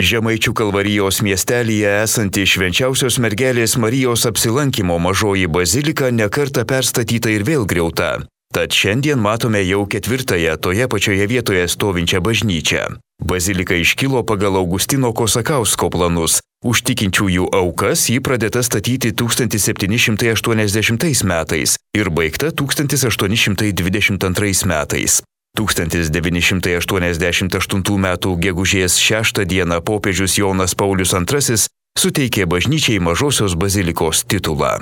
Žemaičių Kalvarijos miestelyje esanti Švenčiausios mergelės Marijos apsilankymo mažoji bazilika nekartą perstatyta ir vėl griauta. Tad šiandien matome jau ketvirtąją toje pačioje vietoje stovinčią bažnyčią. Bazilika iškilo pagal Augustino Kosakausko planus. Už tikinčiųjų aukas ji pradėta statyti 1780 metais ir baigta 1822 metais. 1988 m. gegužės 6 d. popiežius Jonas Paulius II suteikė bažnyčiai mažosios bazilikos titulą.